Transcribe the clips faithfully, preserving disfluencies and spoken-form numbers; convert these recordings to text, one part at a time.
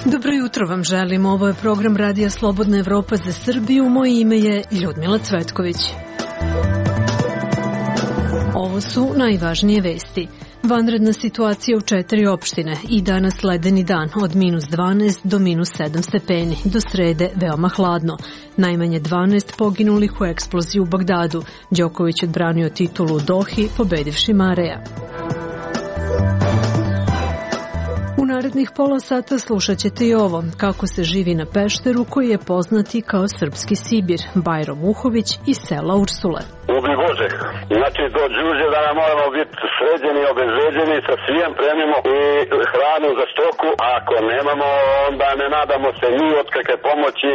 Dobro jutro vam želim. Ovo je program Radija Slobodna Evropa za Srbiju. Moje ime je Ljudmila Cvetković. Ovo su najvažnije vesti. Vanredna situacija u četiri opštine i danas ledeni dan od minus dvanaest do minus sedam stepeni, do srede veoma hladno. Najmanje dvanaest poginulih u eksploziji u Bagdadu. Đoković odbranio titulu u Dohi, pobedivši Mareja. U narednih pola sata slušat ćete i ovo, kako se živi na Pešteru koji je poznati kao srpski Sibir, Bajro Muhović iz sela Ursule. Ubi Bože, znači dođe uđe da nam moramo biti sređeni, obezređeni, sa svijem premimo i hranu za stoku, a ako nemamo onda ne nadamo se ni od kakve pomoći.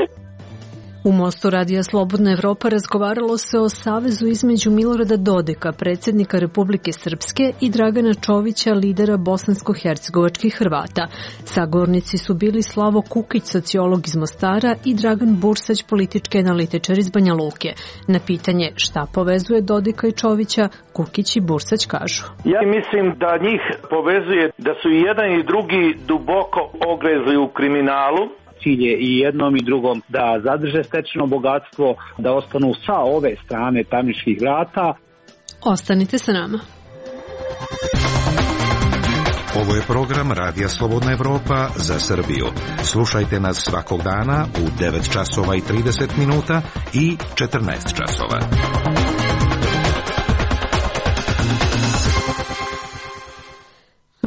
U Mostu Radija Slobodna Evropa razgovaralo se o savezu između Milorada Dodika, predsjednika Republike Srpske, i Dragana Čovića, lidera bosansko-hercegovačkih Hrvata. Sagovornici su bili Slavo Kukić, sociolog iz Mostara, i Dragan Bursać, politički analitičar iz Banja Luke. Na pitanje šta povezuje Dodika i Čovića, Kukić i Bursać kažu. Ja mislim da njih povezuje da su i jedan i drugi duboko ogrezli u kriminalu. Cilj je i jednom i drugom da zadrže stečeno bogatstvo, da ostanu sa ove strane tamničkih vrata. Ostanite sa nama. Ovo je program Radija Slobodna Evropa za Srbiju. Slušajte nas svakog dana u devet časova i trideset minuta i četrnaest časova.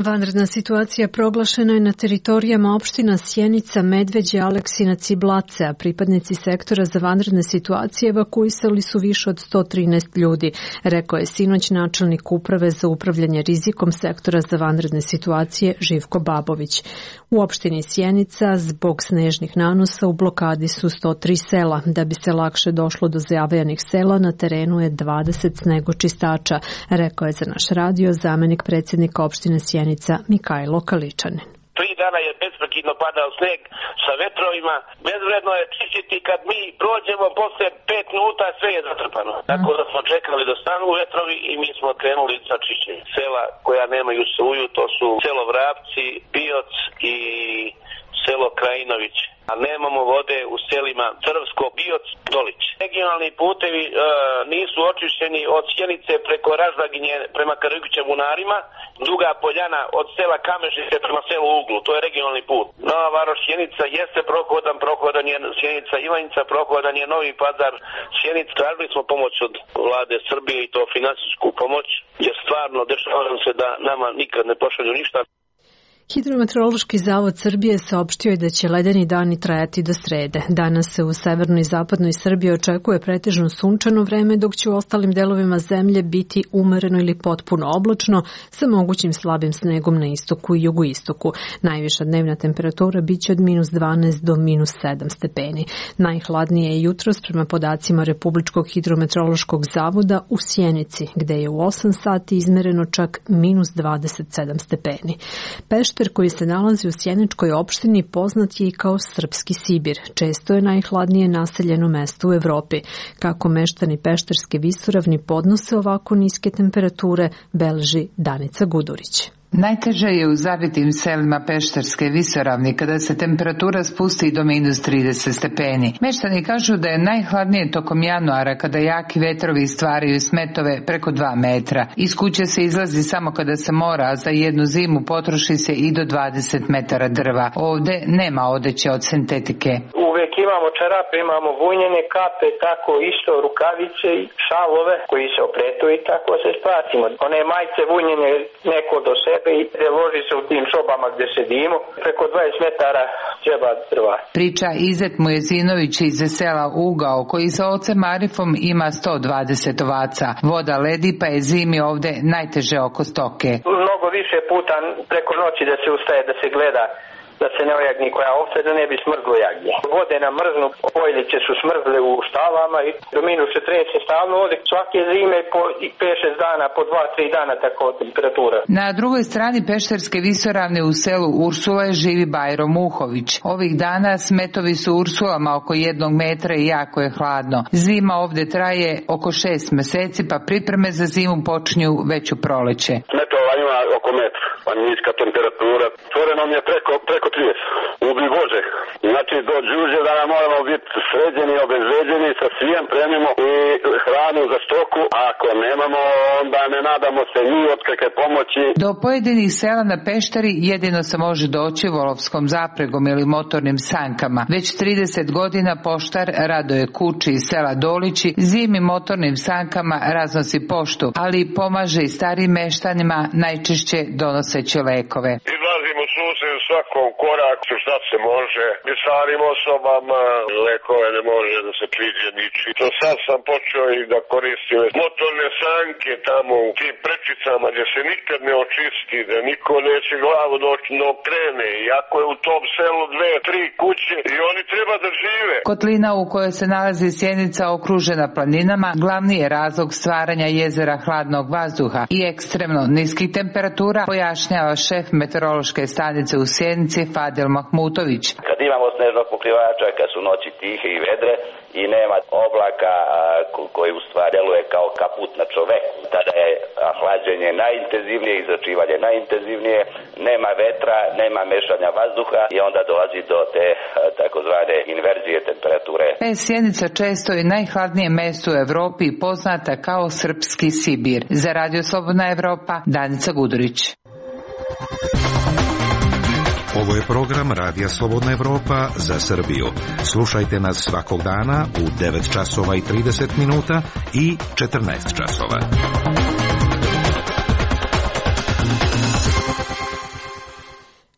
Vanredna situacija proglašena je na teritorijama opština Sjenica, Medveđe, Aleksinac i Blace, a pripadnici sektora za vanredne situacije evakuisali su više od sto trinaest ljudi, rekao je sinoć načelnik uprave za upravljanje rizikom sektora za vanredne situacije Živko Babović. U opštini Sjenica zbog snežnih nanosa u blokadi su sto tri sela. Da bi se lakše došlo do zavajanih sela, na terenu je dvadeset snegočistača, rekao je za naš radio zamenik predsjednika opštine Sjenica Mikajlo Kaličanin. Tri dana je besprekidno padao sneg sa vetrovima. Bezvredno je čistiti kad mi prođemo posle pet minuta, sve je zatrpano. Mm. Tako da smo čekali da stanu vetrovi i mi smo krenuli sa čišćenjem. Sela koja nemaju struju, to su selo Vrapci, Bioc i selo Krajinović. A nemamo vode u selima Crvsko, Bioc, Dolić. Regionalni putevi e, nisu očišćeni od Sjenice preko Raždaginje prema Karugića Bunarima, Duga Poljana od sela Kamežice prema selu Uglu, to je regionalni put. Nova Varoš Sjenica jeste prohodan, prohodan je Sjenica Ivanjica, prohodan je Novi Pazar Sjenica. Tražili smo pomoć od vlade Srbije i to finansijsku pomoć, jer stvarno dešava se da nama nikad ne pošalju ništa. Hidrometeorološki zavod Srbije saopštio je da će ledeni dani trajati do srede. Danas se u severnoj i zapadnoj Srbiji očekuje pretežno sunčano vreme, dok će u ostalim delovima zemlje biti umereno ili potpuno oblačno sa mogućim slabim snegom na istoku i jugoistoku. Najviša dnevna temperatura biće od minus dvanaest do minus sedam stepeni. Najhladnije je jutros prema podacima Republičkog hidrometeorološkog zavoda u Sjenici, gde je u osam sati izmereno čak minus dvadeset sedam stepeni. Pešter koji se nalazi u sjeničkoj opštini poznat je i kao srpski Sibir. Često je najhladnije naseljeno mesto u Evropi. Kako meštani Pešterske visoravni podnose ovako niske temperature, beleži Danica Gudurić. Najteže je u zavitim selima Pešterske visoravni kada se temperatura spusti do minus trideset stepeni. Meštani kažu da je najhladnije tokom januara kada jaki vetrovi stvaraju smetove preko dva metra. Iz kuće se izlazi samo kada se mora, a za jednu zimu potroši se i do dvadeset metara drva. Ovde nema odeće od sintetike. Uvijek imamo čarape, imamo vunjene kape, tako isto rukavice i šalove koji se opletu i tako se spasimo. One majice vunjene neko do sebe i loži se u tim sobama gdje sedimo, preko dvadeset metara treba drva. Priča Izet Mujezinović iz sela Ugao, koji sa ocem Arifom ima sto dvadeset ovaca. Voda ledi, pa je zimi ovde najteže oko stoke. Mnogo više puta preko noći da se ustaje, da se gleda da se ne ojagni koja ovce, da ne bi smrzlo jagnje. Vode nam mrznu, pojliće su smrzle u štavama i do minus četrdeset stalno ovdje. Svake zime po pet šest dana, po dva tri dana tako temperatura. Na drugoj strani Pešterske visoravne u selu Ursula živi Bajro Muhović. Ovih dana smetovi su Ursulama oko jednog metra i jako je hladno. Zima ovdje traje oko šest meseci, pa pripreme za zimu počinju već u proleće. Smetova ima oko metra, pa niska temperatura. Stvore nam je preko, preko trideset. Ubi Bože. Znači do đuđe da nam moramo biti sređeni, obezveđeni, sa svijem premimo i hranu za stoku, a ako nemamo onda ne nadamo se ni od kakve pomoći. Do pojedinih sela na Pešteri jedino se može doći volovskom zapregom ili motornim sankama. Već trideset godina poštar Radoje Kuči iz sela Dolići zimi motornim sankama raznosi poštu, ali pomaže i starim meštanima, najčešće donoseći lekove. Izlazimo susret u svakom koraku šta se može. I starim osobama lekove ne može da se priđe niči. To sad sam počeo i da koristim motorne sanke tamo u tim prečicama gdje se nikad ne očisti, da niko neće glavu doći no krene. Iako je u tom selu dve, tri kuće i oni treba da žive. Kotlina u kojoj se nalazi Sjenica okružena planinama glavni je razlog stvaranja jezera hladnog vazduha i ekstremno niskih temperatura, pojašnjava šef meteorološke stanice u Sjenici Fadil Mahmutović. Kad imamo snežnog pokrivača, kad su noći tihe i vedre i nema oblaka koji u stvari deluje kao kaput na čoveku, tada je hlađenje najintenzivnije, izračivanje najintenzivnije, nema vetra, nema mešanja vazduha i onda dolazi do te takozvane inverzije temperature. Sjenica često je najhladnije mesto u Evropi, poznata kao srpski Sibir. Za Radio Slobodna Evropa, Danica Gudurić. Ovo je program Radija Slobodna Evropa za Srbiju. Slušajte nas svakog dana u devet časova i trideset minuta i četrnaest časova.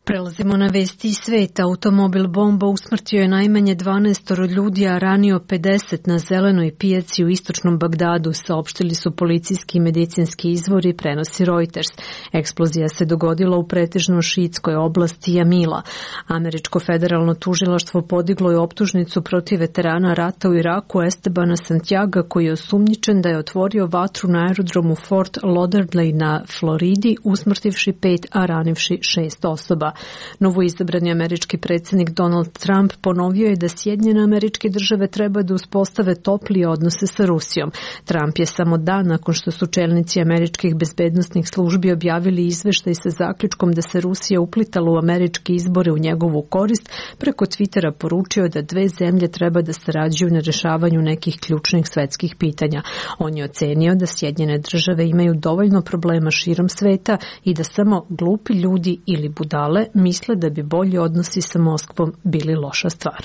Prelazimo na vesti iz sveta. Automobil bomba usmrtio je najmanje dvanaest ljudi, a ranio pedeset na zelenoj pijaci u istočnom Bagdadu, saopštili su policijski i medicinski izvori, prenosi Reuters. Eksplozija se dogodila u pretežno šiitskoj oblasti Jamila. Američko federalno tužilaštvo podiglo je optužnicu protiv veterana rata u Iraku Estebana Santiaga, koji je osumnjičen da je otvorio vatru na aerodromu Fort Lauderdale na Floridi, usmrtivši pet, a ranivši šest osoba. Novoizabrani američki predsjednik Donald Trump ponovio je da Sjedinjene Američke Države treba da uspostave toplije odnose sa Rusijom. Trump je samo dan nakon što su čelnici američkih bezbednosnih službi objavili izveštaj sa zaključkom da se Rusija uplitala u američke izbore u njegovu korist, preko Twittera poručio da dve zemlje treba da sarađuju na rešavanju nekih ključnih svetskih pitanja. On je ocenio da Sjedinjene Države imaju dovoljno problema širom sveta i da samo glupi ljudi ili budale misle da bi bolji odnosi sa Moskvom bili loša stvar.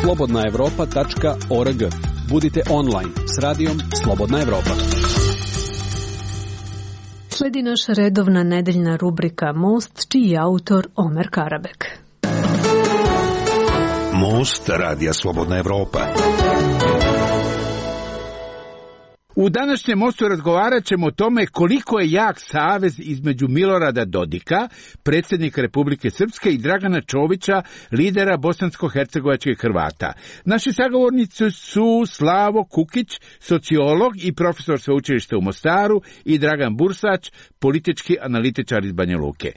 slobodna evropa tačka org. Budite online s radijom Slobodna Evropa. Sledi naša redovna nedeljna rubrika Most, čiji je autor Omer Karabek. Most Radija Slobodna Evropa. U današnjem mostu razgovarat ćemo o tome koliko je jak savez između Milorada Dodika, predsjednika Republike Srpske, i Dragana Čovića, lidera bosansko-hercegovačkih Hrvata. Naši sagovornici su Slavo Kukić, sociolog i profesor sveučilišta u Mostaru, i Dragan Bursać, politički analitičar iz Banja Luke.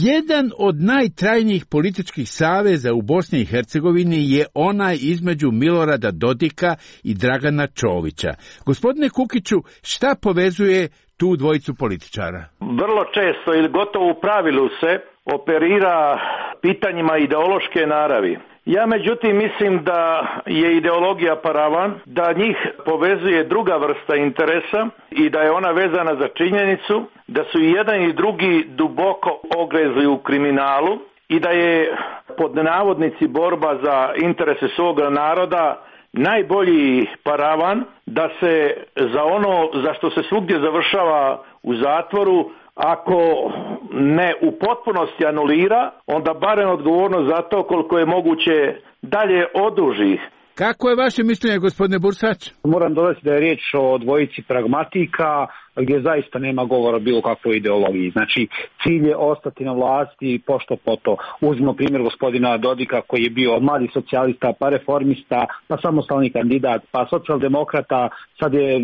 Jedan od najtrajnijih političkih saveza u Bosni i Hercegovini je onaj između Milorada Dodika i Dragana Čovića. Gospodine Kukiću, šta povezuje tu dvojicu političara? Vrlo često ili gotovo u pravilu se operira pitanjima ideološke naravi. Ja međutim mislim da je ideologija paravan, da njih povezuje druga vrsta interesa i da je ona vezana za činjenicu da su i jedan i drugi duboko ogrezli u kriminalu i da je pod navodnici borba za interese svoga naroda najbolji paravan da se za ono za što se svugdje završava u zatvoru, ako ne u potpunosti anulira, onda barem odgovornost za to koliko je moguće dalje oduži. Kako je vaše mišljenje, gospodine Bursać? Moram dodati da je riječ o dvojici pragmatika, gdje zaista nema govora o bilo kakvoj ideologiji. Znači, cilj je ostati na vlasti pošto poto. Uzmimo primjer gospodina Dodika, koji je bio mladi socijalista, pa reformista, pa samostalni kandidat, pa socijaldemokrata, sad je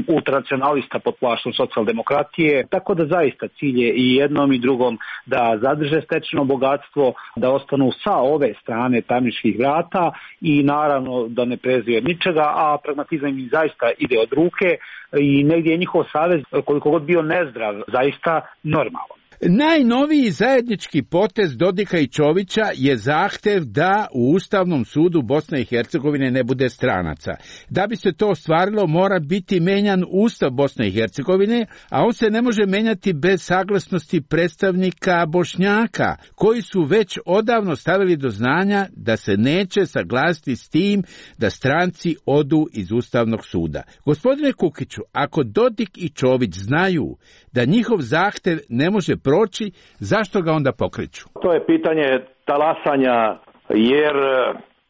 ultranacionalista pod plaštom socijaldemokratije. Tako da zaista cilj je i jednom i drugom da zadrže stečeno bogatstvo, da ostanu sa ove strane tamničkih vrata i naravno da ne preziju od ničega, a pragmatizam im zaista ide od ruke i negdje je njihov savez, koliko god bio nezdrav, zaista normalan. Najnoviji zajednički potez Dodika i Čovića je zahtev da u Ustavnom sudu Bosne i Hercegovine ne bude stranaca. Da bi se to ostvarilo, mora biti menjan Ustav Bosne i Hercegovine, a on se ne može menjati bez saglasnosti predstavnika Bošnjaka, koji su već odavno stavili do znanja da se neće saglasiti s tim da stranci odu iz Ustavnog suda. Gospodine Kukiću, ako Dodik i Čović znaju da njihov zahtev ne može proći, zašto ga onda pokreću? To je pitanje talasanja, jer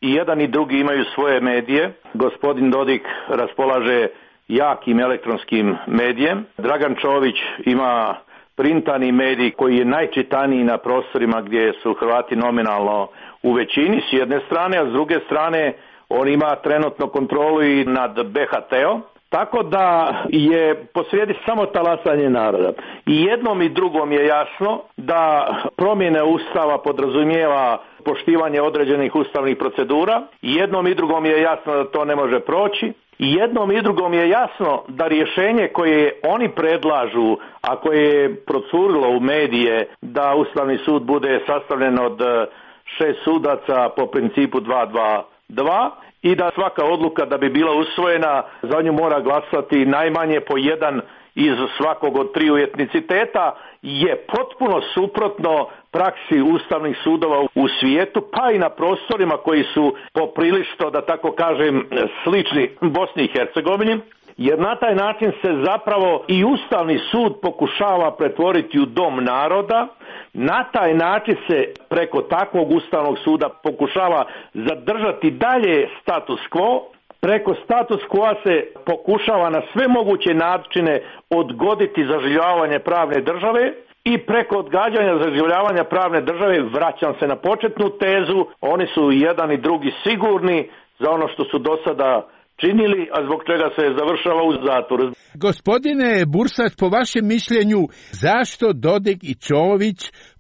i jedan i drugi imaju svoje medije. Gospodin Dodik raspolaže jakim elektronskim medijem. Dragan Čović ima printani medij koji je najčitaniji na prostorima gdje su Hrvati nominalno u većini s jedne strane, a s druge strane on ima trenutno kontrolu i nad B H T-om. Tako da je posrijedi samo talasanje naroda. I jednom i drugom je jasno da promjene Ustava podrazumijeva poštivanje određenih ustavnih procedura. I jednom i drugom je jasno da to ne može proći. I jednom i drugom je jasno da rješenje koje oni predlažu, a koje je procurilo u medije da Ustavni sud bude sastavljen od šest sudaca po principu dva dva dva, i da svaka odluka da bi bila usvojena za nju mora glasati najmanje po jedan iz svakog od triju etniciteta, je potpuno suprotno praksi ustavnih sudova u svijetu, pa i na prostorima koji su poprilično, da tako kažem, slični Bosni i Hercegovini. Jer na taj način se zapravo i Ustavni sud pokušava pretvoriti u dom naroda. Na taj način se preko takvog Ustavnog suda pokušava zadržati dalje status quo. Preko status quo se pokušava na sve moguće načine odgoditi zaživljavanje pravne države. I preko odgađanja zaživljavanja pravne države, vraćam se na početnu tezu, oni su jedan i drugi sigurni za ono što su do sada činili, a zbog čega se završava u zatvoru. Gospodine Bursać, po vašem mišljenju, zašto Dodik i Čović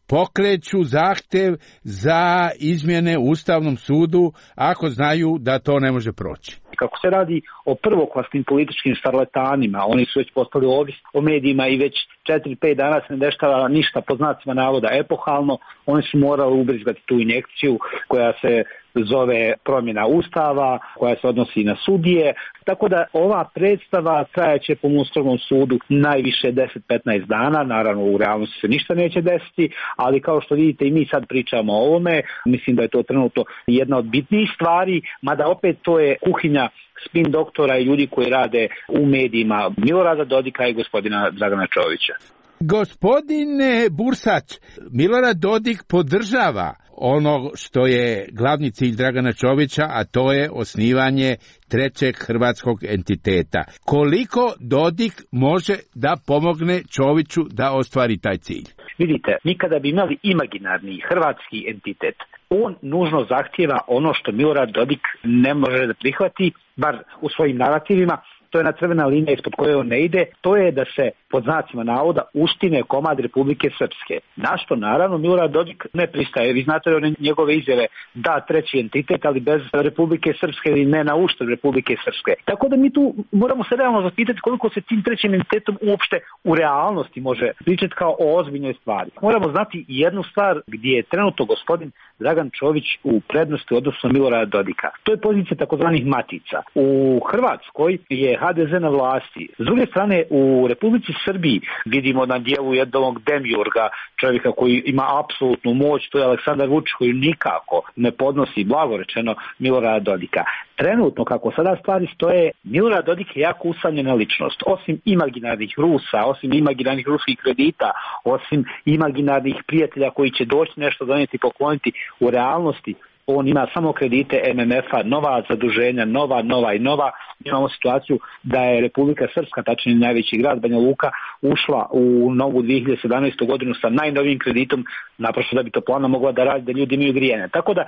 pokreću zahtev za izmjene u Ustavnom sudu ako znaju da to ne može proći? Kako se radi o prvoklasnim političkim šarlatanima, oni su već postali ovisni o medijima i već četiri pet dana se ne dešava ništa po znacima navoda epohalno, oni su morali ubrizgati tu injekciju koja se zove promjena Ustava, koja se odnosi na sudije, tako da ova predstava trajaće po Ustavnom sudu najviše deset do petnaest dana, naravno u realnosti se ništa neće desiti, ali kao što vidite i mi sad pričamo o ovome, mislim da je to trenutno jedna od bitnijih stvari, mada opet to je kuhinja spin doktora i ljudi koji rade u medijima Milorada Dodika i gospodina Dragana Čovića. Gospodine Bursać, Milorad Dodik podržava ono što je glavni cilj Dragana Čovića, a to je osnivanje trećeg hrvatskog entiteta. Koliko Dodik može da pomogne Čoviću da ostvari taj cilj? Vidite, mi kada bi imali imaginarni hrvatski entitet, on nužno zahtijeva ono što Milorad Dodik ne može da prihvati, bar u svojim narativima. To je na crvena linija ispod koje on ne ide, to je da se pod znacima navoda uštine komad Republike Srpske. Na što naravno Milorad Dodik ne pristaje. Vi znate one njegove izjave da treći entitet, ali bez Republike Srpske ili ne na uštrb Republike Srpske. Tako da mi tu moramo se realno zapitati koliko se tim trećim entitetom uopšte u realnosti može pričati kao o ozbiljnoj stvari. Moramo znati jednu stvar gdje je trenutno gospodin Dragan Čović u prednosti odnosno Milorada Dodika. To je pozicija takozvanih matica. U Hrvatskoj je H D Z na vlasti. S druge strane, u Republici Srbiji vidimo na dijelu jednog demiurga, čovjeka koji ima apsolutnu moć, to je Aleksandar Vučić koji nikako ne podnosi, blago rečeno, Milorada Dodika. Trenutno, kako sada stvari stoje, Milorad Dodik je jako usamljena ličnost. Osim imaginarnih Rusa, osim imaginarnih ruskih kredita, osim imaginarnih prijatelja koji će doći nešto donijeti i pokloniti, u realnosti on ima samo kredite M M F-a, nova zaduženja, nova, nova i nova. Imamo situaciju da je Republika Srpska, tačnije najveći grad Banja Luka, ušla u novu dvije hiljade sedamnaestu godinu sa najnovijim kreditom, naprosto da bi toplana mogla da radi, da ljudi imaju grijanje. Tako da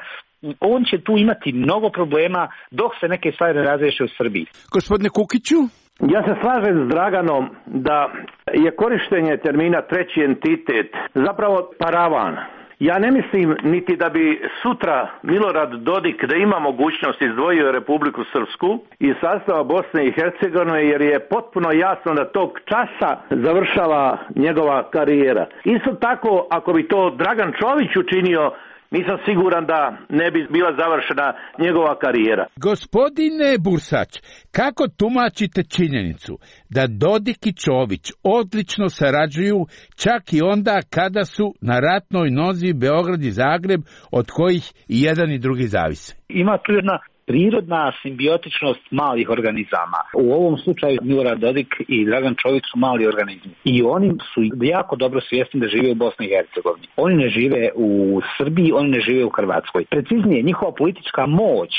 on će tu imati mnogo problema dok se neke stvari ne razriješe u Srbiji. Gospodine Kukiću? Ja se slažem s Draganom da je korištenje termina treći entitet zapravo paravan. Ja ne mislim niti da bi sutra Milorad Dodik da ima mogućnost izdvojio Republiku Srpsku iz sastava Bosne i Hercegovine, jer je potpuno jasno da tog časa završava njegova karijera. Isto tako, ako bi to Dragan Čović učinio, nisam siguran da ne bi bila završena njegova karijera. Gospodine Bursać, kako tumačite činjenicu da Dodik i Čović odlično sarađuju čak i onda kada su na ratnoj nozi Beograd i Zagreb, od kojih i jedan i drugi zavise? Ima tu jedna prirodna simbiotičnost malih organizama. U ovom slučaju Milorad Dodik i Dragan Čović su mali organizmi. I oni su jako dobro svjesni da žive u Bosni i Hercegovini. Oni ne žive u Srbiji, oni ne žive u Hrvatskoj. Preciznije, njihova politička moć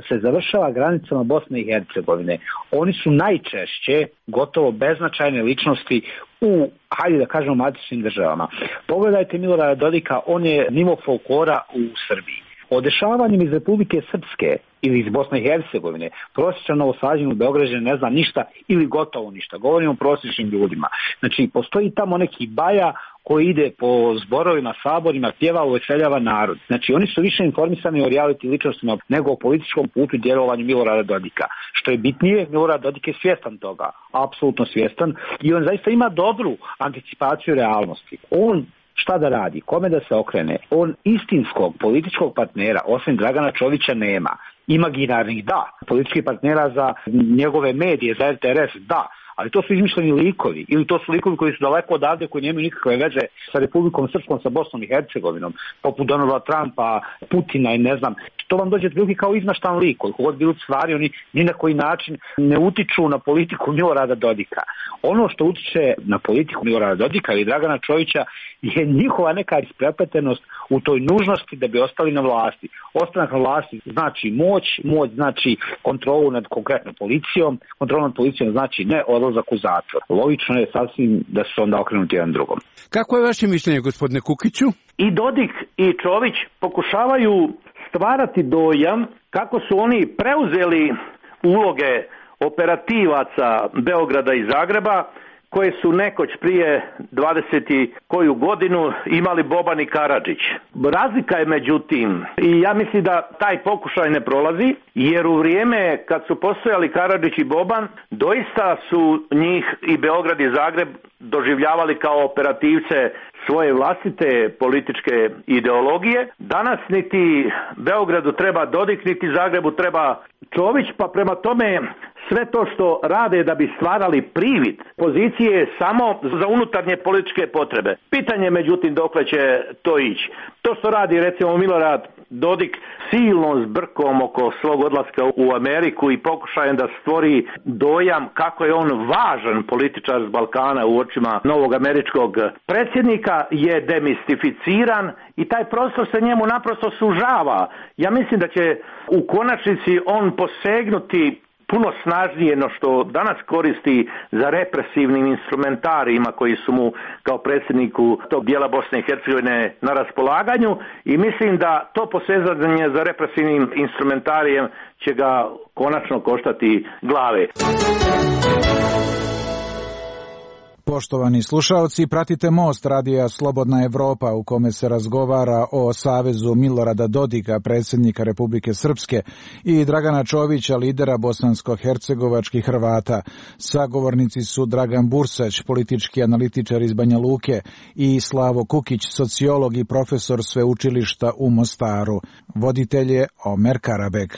se završava granicama Bosne i Hercegovine. Oni su najčešće gotovo beznačajne ličnosti u, hajde da kažemo, matičnim državama. Pogledajte Milorada Dodika, on je nivo folklora u Srbiji. O dešavanjem iz Republike Srpske ili iz Bosne i Hercegovine prosječan novosađen u Beograđan ne zna ništa ili gotovo ništa. Govorimo o prosječnim ljudima. Znači, postoji tamo neki baja koji ide po zborovima, saborima, pjeva, uveseljava narod. Znači, oni su više informisani o reality ličnostima nego o političkom putu i djelovanju Milorada Dodika. Što je bitnije, Milorad Dodik je svjestan toga, apsolutno svjestan, i on zaista ima dobru anticipaciju realnosti. On šta da radi, kome da se okrene? On istinskog političkog partnera, osim Dragana Čovića, nema. Imaginarnih da, političkih partnera za njegove medije, za R T R S da, ali to su izmišljeni likovi, ili to su likovi koji su daleko odavde, koji nemaju nikakve veze sa Republikom Srpskom, sa Bosnom i Hercegovinom, poput Donalda Trumpa, Putina i ne znam. To vam dođe otprilike kao izmaštan lik, koliko god bilo stvari, oni ni na koji način ne utiču na politiku Milorada Dodika. Ono što utiče na politiku Milorada Dodika ili Dragana Čovića je njihova neka isprepletenost u toj nužnosti da bi ostali na vlasti. Ostanak na vlasti znači moć, moć znači kontrolu nad konkretnom policijom, kontrolu nad policijom znači ne odlazak u zatvor. Logično je sasvim da su onda okrenuti jedan drugom. Kako je vaše mišljenje, gospodine Kukiću? I Dodik i Čović pokušavaju stvarati dojam kako su oni preuzeli uloge operativaca Beograda i Zagreba, koje su nekoć prije dvadeset koju godinu imali Boban i Karadžić. Razlika je međutim, i ja mislim da taj pokušaj ne prolazi, jer u vrijeme kad su postojali Karadžić i Boban, doista su njih i Beograd i Zagreb doživljavali kao operativce svoje vlastite političke ideologije. Danas niti Beogradu treba Dodik, niti Zagrebu treba Čović, pa prema tome sve to što rade da bi stvarali privid pozicije samo za unutarnje političke potrebe. Pitanje međutim dokle će to ići. To što radi recimo Milorad Dodik silnom zbrkom oko svog odlaska u Ameriku i pokušajem da stvori dojam kako je on važan političar s Balkana u očima novog američkog predsjednika je demistificiran i taj prostor se njemu naprosto sužava. Ja mislim da će u konačnici on posegnuti puno snažnije no što danas koristi za represivnim instrumentarijima koji su mu kao predsjedniku tog dijela Bosne i Hercegovine na raspolaganju, i mislim da to posezanje za represivnim instrumentarijem će ga konačno koštati glave. Poštovani slušaoci, pratite Most radija Slobodna Evropa u kome se razgovara o savezu Milorada Dodika, predsjednika Republike Srpske, i Dragana Čovića, lidera bosansko-hercegovačkih Hrvata. Sagovornici su Dragan Bursać, politički analitičar iz Banja Luke, i Slavo Kukić, sociolog i profesor sveučilišta u Mostaru. Voditelj je Omer Karabek.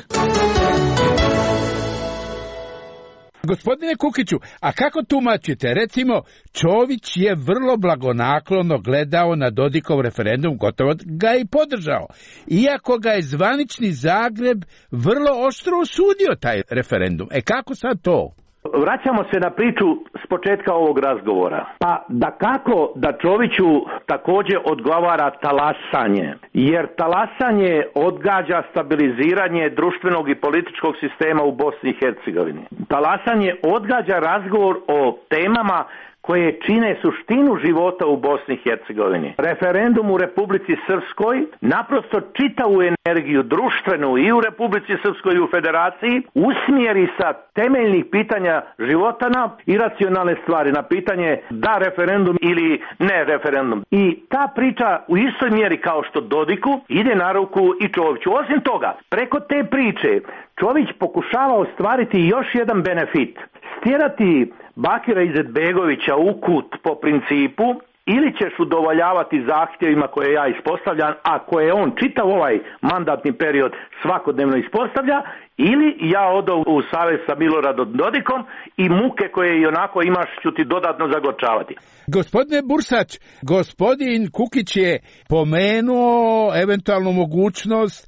Gospodine Kukiću, a kako tumačite? Recimo, Čović je vrlo blagonaklono gledao na Dodikov referendum, gotovo ga i podržao. Iako ga je zvanični Zagreb vrlo oštro osudio taj referendum. E kako sad to? Vraćamo se na priču s početka ovog razgovora. Pa da kako da Čoviću također odgovara talasanje, jer talasanje odgađa stabiliziranje društvenog i političkog sistema u Bosni i Hercegovini. Talasanje odgađa razgovor o temama koje čine suštinu života u Bosni i Hercegovini. Referendum u Republici Srpskoj naprosto čitavu energiju društvenu i u Republici Srpskoj i u Federaciji usmjeri sa temeljnih pitanja života na iracionalne stvari, na pitanje da referendum ili ne referendum. I ta priča u istoj mjeri kao što Dodiku ide na ruku i Čoviću. Osim toga, preko te priče Čović pokušava ostvariti još jedan benefit. Stjerati Bakira Izetbegovića u kut po principu ili ćeš udovoljavati zahtjevima koje ja ispostavljam, a koje on čitav ovaj mandatni period svakodnevno ispostavlja, ili ja odo u savez sa Miloradom Dodikom i muke koje i onako imaš ću ti dodatno zagorčavati. Gospodine Bursać, gospodin Kukić je pomenuo eventualnu mogućnost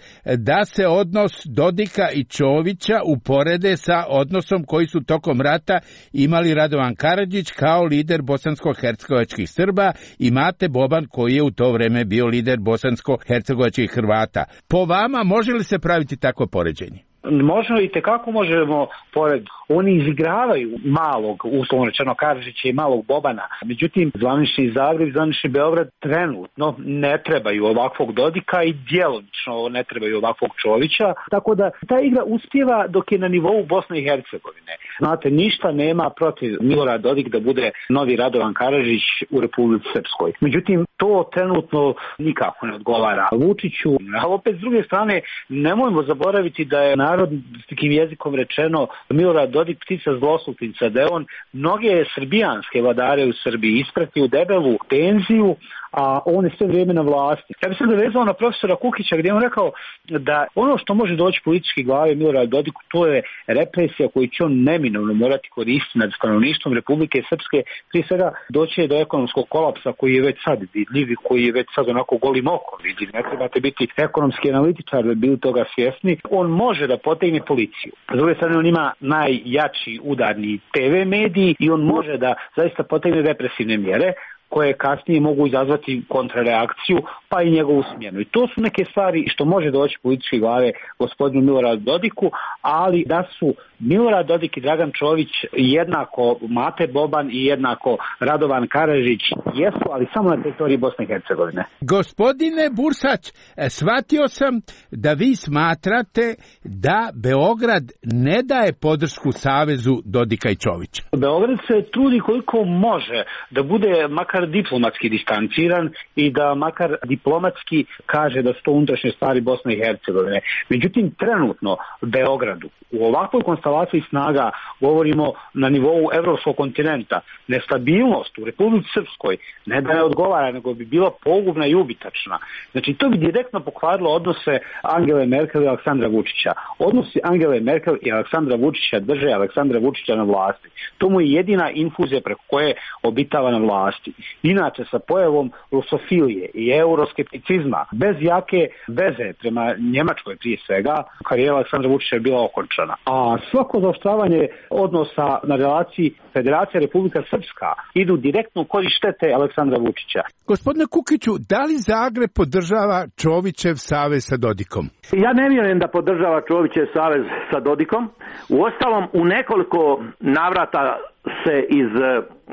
da se odnos Dodika i Čovića uporede sa odnosom koji su tokom rata imali Radovan Karadžić kao lider bosansko-hercegovačkih Srba i Mate Boban koji je u to vrijeme bio lider bosansko-hercegovačkih Hrvata. Po vama može li se praviti tako poređenje? Možemo i tekako možemo pored. Oni izigravaju malog, uslovno rečeno Karadžića i malog Bobana. Međutim, zvanični Zagreb i zvanični Beograd trenutno ne trebaju ovakvog Dodika i djelomično ne trebaju ovakvog Čovića. Tako da ta igra uspjeva dok je na nivou Bosne i Hercegovine. Znate, ništa nema protiv Milorad Dodik da bude novi Radovan Karadžić u Republici Srpskoj. Međutim, to trenutno nikako ne odgovara Vučiću. A opet s druge strane, nemojmo zaboraviti da je narodskim jezikom rečeno Milorad Dodik ptica zloslutnica, da je on mnoge srbijanske vladare u Srbiji ispratio u debelu penziju, a on je sve vrijeme na vlasti. Ja bih se dovezao na profesora Kukića gdje je on rekao da ono što može doći politički glave Milorad Dodiku, to je represija koju će on neminovno morati koristiti nad stanovništvom Republike Srpske. Prije svega doći do ekonomskog kolapsa koji je već sad vidljiv i koji je već sad onako golim okom vidljiv. Ne trebate biti ekonomski analitičar da bi toga svjesni. On može da potegne policiju. S druge strane, on ima najjači udarni te ve mediji i on može da zaista potegne represivne mjere koje kasnije mogu izazvati kontrareakciju, pa i njegovu smjenu. I to su neke stvari što može doći političke glave gospodinu Miloradu Dodiku, ali da su Milorad Dodik i Dragan Čović jednako Mate Boban i jednako Radovan Karadžić jesu, ali samo na teritoriji Bosne i Hercegovine. Gospodine Bursać, shvatio sam da vi smatrate da Beograd ne daje podršku savezu Dodika i Čovića. Beograd se trudi koliko može da bude makar diplomatski distanciran i da makar diplomatski kaže da su to unutrašnje stvari Bosne i Hercegovine. Međutim, trenutno Beogradu u ovakvoj konstelaciji snaga, govorimo na nivou evropskog kontinenta, nestabilnost u Republici Srpskoj ne da ne odgovara, nego bi bila pogubna i ubitačna. Znači, to bi direktno pokvarilo odnose Angele Merkel i Aleksandra Vučića. Odnosi Angele Merkel i Aleksandra Vučića drže Aleksandra Vučića na vlasti. To mu je jedina infuzija preko koje obitava na vlasti. Inače, sa pojavom rusofilije i euroskepticizma, bez jake veze prema Njemačkoj prije svega, karijera Aleksandra Vučića je bila okončana. A svako zaoštravanje odnosa na relaciji Federacija Republika Srpska idu direktno u korist štete Aleksandra Vučića. Gospodine Kukiću, da li Zagreb podržava Čovićev savez sa Dodikom? Ja ne vjerujem da podržava Čovićev savez sa Dodikom. Uostalom, u nekoliko navrata se iz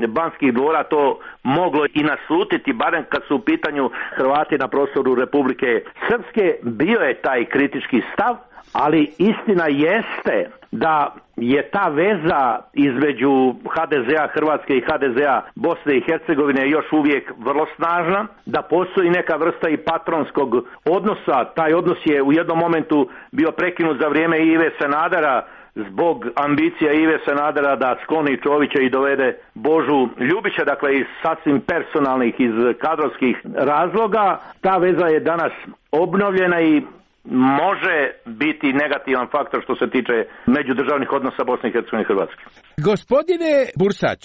Banskih dvora to moglo i naslutiti, barem kad su u pitanju Hrvati na prostoru Republike Srpske. Bio je taj kritički stav, ali istina jeste da je ta veza između ha de zea Hrvatske i ha de zea Bosne i Hercegovine još uvijek vrlo snažna, da postoji neka vrsta i patronskog odnosa. Taj odnos je u jednom momentu bio prekinut za vrijeme Ive Sanadera zbog ambicija Ive Sanadera da skloni Čovića i dovede Božu Ljubića, dakle iz sasvim personalnih, iz kadrovskih razloga. Ta veza je danas obnovljena i može biti negativan faktor što se tiče međudržavnih odnosa Bosne i Hercegovine i Hrvatske. Gospodine Bursać,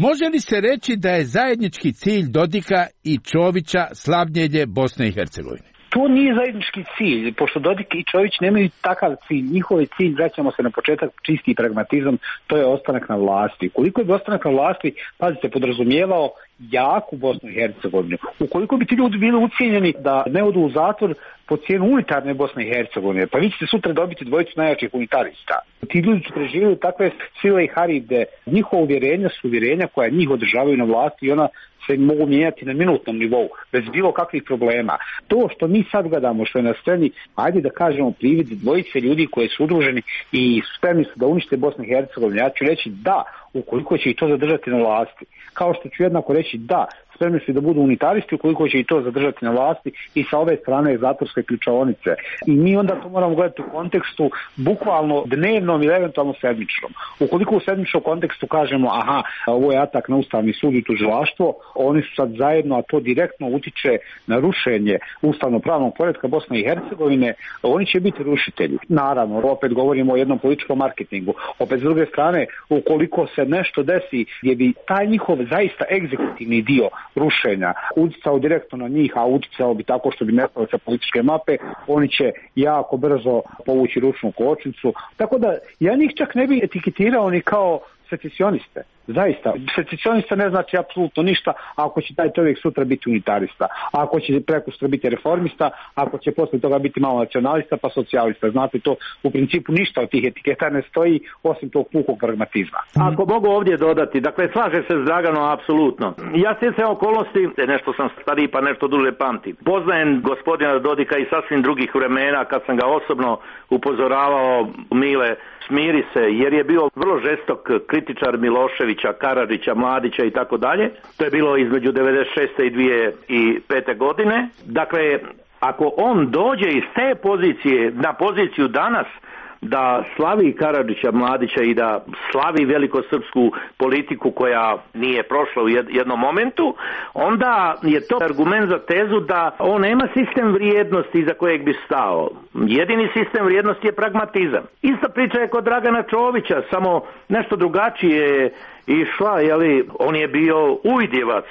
može li se reći da je zajednički cilj Dodika i Čovića slavljenje Bosne i Hercegovine? to nije zajednički cilj, pošto Dodik i Čović nemaju takav cilj. Njihov je cilj, vraćamo se na početak, čisti pragmatizam, to je ostanak na vlasti. Ukoliko bi ostanak na vlasti, pazite, podrazumijevao jaku Bosnu i Hercegovinu, ukoliko bi ti ljudi bili ucijenjeni da ne odu u zatvor po cijenu unitarne Bosne i Hercegovine, pa vi ćete sutra dobiti dvojicu najjačih unitarista. Ti ljudi su preživjeli takve sile i haride. Njihova uvjerenja su uvjerenja koja njih održavaju na vlasti i ona se mogu mijenjati na minutnom nivou, bez bilo kakvih problema. To što mi sad gledamo, što je na sceni, ajde da kažemo privid dvojice ljudi koji su udruženi i spremni su da unište Bosnu i Hercegovinu. Ja ću reći da, ukoliko će i to zadržati na vlasti. Kao što ću jednako reći da, spremni su da budu unitaristi ukoliko će i to zadržati na vlasti i sa ove strane zatvorske ključaonice. I mi onda to moramo gledati u kontekstu bukvalno dnevnom ili eventualno sedmičnom. Ukoliko u sedmičnom kontekstu kažemo aha, ovo je atak na Ustavni sud i tužilaštvo, oni su sad zajedno, a to direktno utiče na rušenje ustavno-pravnog poretka Bosne i Hercegovine, oni će biti rušitelji. Naravno, opet govorimo o jednom političkom marketingu. Opet s druge strane, ukoliko se nešto desi gdje bi taj njihov zaista egzekutivni dio rušenja uticao direktno na njih, a uticao bi tako što bi nestalo sa političke mape, oni će jako brzo povući ručnu kočnicu. Tako da ja njih čak ne bi etiketirao ni kao secesioniste. Zaista, secesionista ne znači apsolutno ništa ako će taj čovjek sutra biti unitarista, ako će prekustra biti reformista, ako će posle toga biti malo nacionalista pa socijalista. Znate, to u principu ništa od tih etiketa ne stoji osim tog pukog pragmatizma. Ako mogu ovdje dodati, dakle slaže se s Draganom apsolutno. Ja stjecajem okolnosti, nešto sam stariji pa nešto duže pamtim. Poznajem gospodina Dodika i sasvim drugih vremena kad sam ga osobno upozoravao, Mile, smiri se, jer je bio vrlo žestok kritičar Miloševića, Karadžića, Mladića i tako dalje. To je bilo između devedeset šeste i dvije tisuće pete godine. Dakle, ako on dođe iz te pozicije na poziciju danas, da slavi Karadžića, Mladića i da slavi velikosrpsku politiku koja nije prošla u jednom momentu, onda je to argument za tezu da on nema sistem vrijednosti iza kojeg bi stao. Jedini sistem vrijednosti je pragmatizam. Ista priča je kod Dragana Čovića, samo nešto drugačije išla, jeli, on je bio ujdjevac,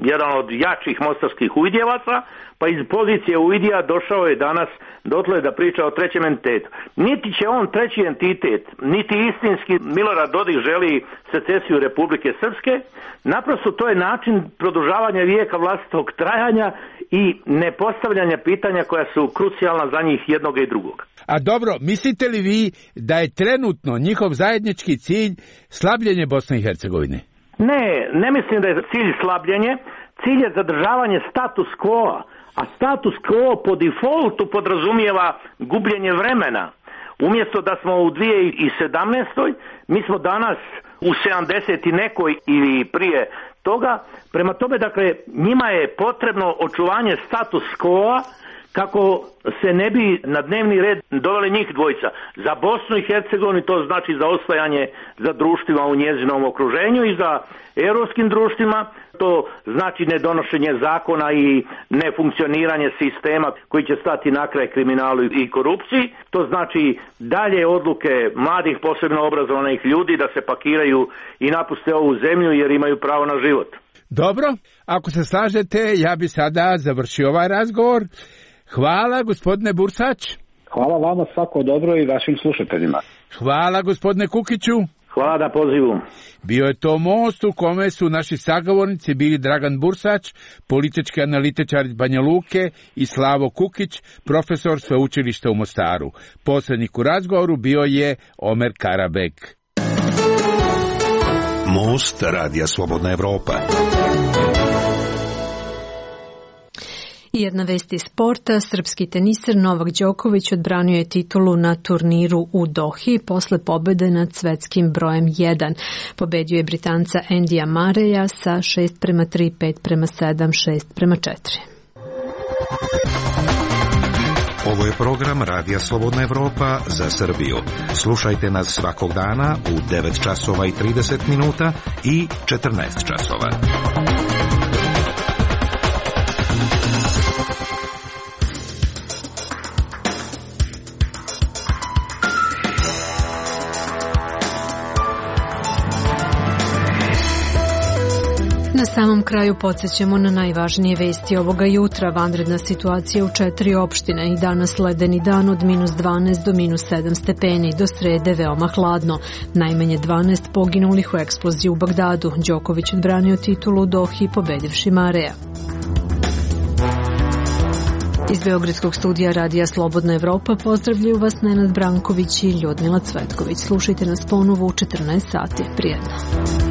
jedan od jačih mostarskih ujdjevaca, pa iz pozicije ujdija došao je danas dotle da priča o trećem entitetu. Niti će on treći entitet, niti istinski Milorad Dodik želi secesiju Republike Srpske, naprosto to je način produžavanja vijeka vlastitog trajanja i nepostavljanja pitanja koja su krucijalna za njih jednog i drugog. A dobro, mislite li vi da je trenutno njihov zajednički cilj slabljenje Bosne i Hercegovine? Ne, ne mislim da je cilj slabljenje. Cilj je zadržavanje status quo, a status quo po defaultu podrazumijeva gubljenje vremena. Umjesto da smo u dvije tisuće sedamnaestoj, mi smo danas u sedamdeset i nekoj ili prije toga. Prema tome, dakle, njima je potrebno očuvanje status quo kako se ne bi na dnevni red doveli njih dvojica. Za Bosnu i Hercegovinu to znači za ostajanje za društvima u njezinom okruženju i za europskim društvima to znači nedonošenje zakona i nefunkcioniranje sistema koji će stati na kraj kriminalu i korupciji. To znači dalje odluke mladih, posebno obrazovanih ljudi da se pakiraju i napuste ovu zemlju jer imaju pravo na život. Dobro, ako se slažete, ja bi sada završio ovaj razgovor. Hvala, gospodine Bursać. Hvala vama, svako dobro i vašim slušateljima. Hvala, gospodine Kukiću. Hvala na pozivu. Bio je to most u kome su naši sagovornici bili Dragan Bursać, politički analitičar iz Banja Luke, i Slavo Kukić, profesor sveučilišta u Mostaru. Posrednik u razgovoru bio je Omer Karabek. Most Radija Slobodna Evropa. I jedna vest iz sporta, srpski teniser Novak Đoković odbranio je titulu na turniru u Dohi posle pobede nad svetskim brojem jedan. Pobedio je Britanca Endija Mareja sa šest prema tri, pet prema sedam, šest prema četiri. Ovo je program Radija Slobodna Evropa za Srbiju. Slušajte nas svakog dana u devet časova i trideset minuta i četrnaest časova. Na samom kraju podsjećamo na najvažnije vesti ovoga jutra. Vanredna situacija u četiri opštine i danas ledeni dan od minus dvanaest do minus sedam stepeni, do srede veoma hladno. Najmanje dvanaest poginulih u eksploziji u Bagdadu. Đoković odbranio titulu u Dohi pobedivši Mareja. Iz Beogradskog studija Radija Slobodna Evropa pozdravljaju vas Nenad Branković i Ljudmila Cvetković. Slušajte nas ponovo u četrnaest sati. Prijetno.